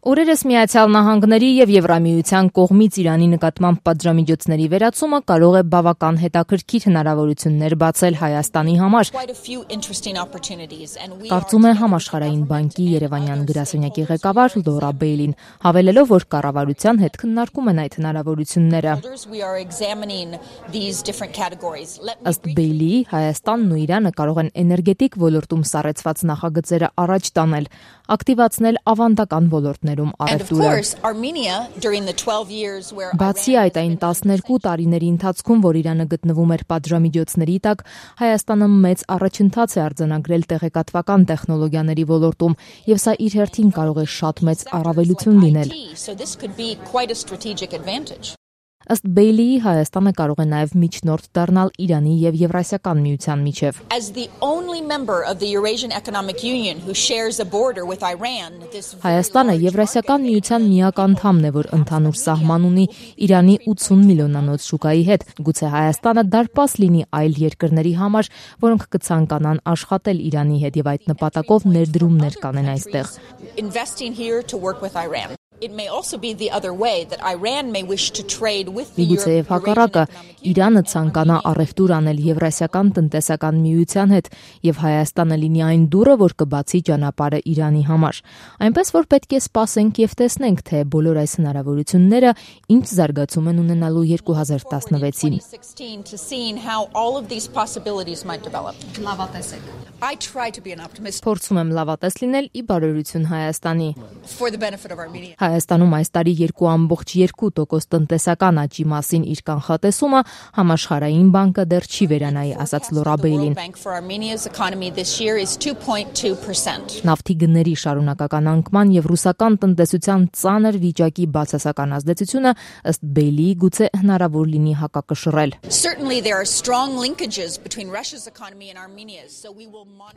Օրերս Միացյալ Նահանգների եւ Եվրամիության կողմից Իրանի նկատմամբ պատժամիջոցների վերացումը կարող է բավական հետաքրքիր հնարավորություններ բացել Հայաստանի համար, կարծում է Համաշխարհային բանկի երևանյան գրասենյակի ղեկավար Լորա Բեյլին, հավելելով, որ կառավարության հետ քննարկում են այդ հնարավորությունները։ Ըստ Բեյլիի, Հայաստանն ու Իրանը կարող են էներգետիկ ոլորտում սառեցված նախագծերը առաջ տանել, ակտիվացնել ավանդական ոլորտներում առևտուրը։ Բացի այդ, այն 12 տարիների ընթացքում, որ Իրանը գտնվում էր պատժամիջոցների տակ, Հայաստանը մեծ առաջընթաց է արձանագրել տեղեկատվական տեխնոլոգիաների ոլորտում, եւ սա իր հերթին կարող է շատ մեծ առավելություն լինել։ Ըստ Բեյլիի, Հայաստանը կարող է նաև միջնորդ դառնալ Իրանի եւ Եվրասիական միության միջև։ Հայաստանը Եվրասիական միության միակ անդամն է, որ ընդհանուր սահման ունի Իրանի 80 միլիոնանոց շուկայի հետ։ Գուցե Հայաստանը դարպաս լինի այլ երկրների համար, որոնք կցանկանան աշխատել Իրանի հետ եւ այդ նպատակով ներդրումներ կանեն այստեղ։ Միգուցե եւ հակառակը, Իրանը ցանկանա առևտուր անել Եվրասիական տնտեսական միության հետ եւ Հայաստանը լինի այն դուռը, որ կբացի ճանապարհը Իրանի համար։ Այնպես որ պետք է սպասենք եւ տեսնենք, թե բոլոր այս հնարավորությունները ինչ զարգացում են ունենալու 2016-ին։ Փորձում եմ լավատես լինել ի բարօրություն Հայաստանի։ Հայաստանում այս տարի 2.2% տնտեսական աճի մասին իր կանխատեսումը Համաշխարհային բանկը դեռ չի վերանայի, ասաց Լորա Բեյլին։ Նավթի գների շարունակական անկման եւ ռուսական տնտեսության ծանր վիճակի բացասական ազդեցությունը ըստ Բեյլիի գուցե հնարավոր լինի հակակշռել։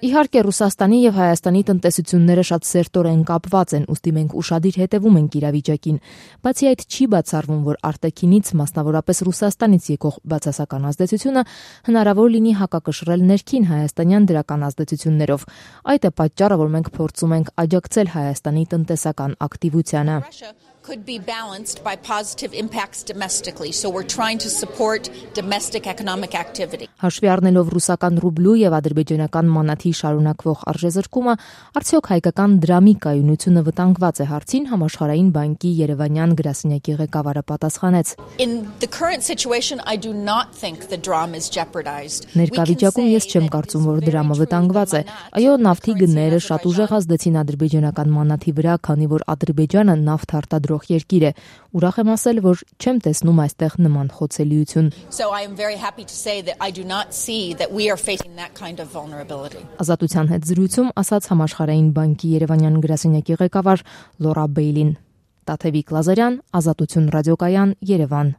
Իհարկե, Ռուսաստանի եւ Հայաստանի տնտեսությունները շատ սերտորեն կապված են, ուստի մենք ուշադիր հետևում ենք իրավիճակին, բացի այդ չի բացառվում, որ արտաքինից, մասնավորապես Ռուսաստանից եկող բացասական ազդեցությունը հնարավոր լինի հակակշռել ներքին հայաստանյան դրական ազդեցություններով։ Այդ է պատճառը, որ մենք փորձում ենք աջակցել Հայաստանի տնտեսական ակտիվությանը։ Could be balanced by positive impacts domestically, so we're trying to support domestic economic activity. Հաշվի առնելով ռուսական ռուբլու եւ ադրբեջանական մանաթի շարունակվող արժեզրկումը, արդյոք հայկական դրամի կայունությունը վտանգված է հարցին Համաշխարհային բանկի երևանյան գրասենյակի ղեկավարը պատասխանեց. In the current situation, I do not think the dram is jeopardized. Ներկայիճակում ես չեմ կարծում, որ դրամը վտանգված է։ Այո, նավթի գները շատ ուժեղ ազդեցին ադրբեջանական մանաթի վրա, քանի որ Ադրբեջանը նավթ արտադրող երկիր է։ Ուրախ եմ ասել, որ չեմ տեսնում այստեղ նման խոցելիություն։ Ազատության հետ զրույցում ասաց Համաշխարհային բանկի երևանյան գրասենյակի ղեկավար Լորա Բեյլին։ Տաթևիկ Լազարյան, Ազատություն ռադիոկայան, Երևան։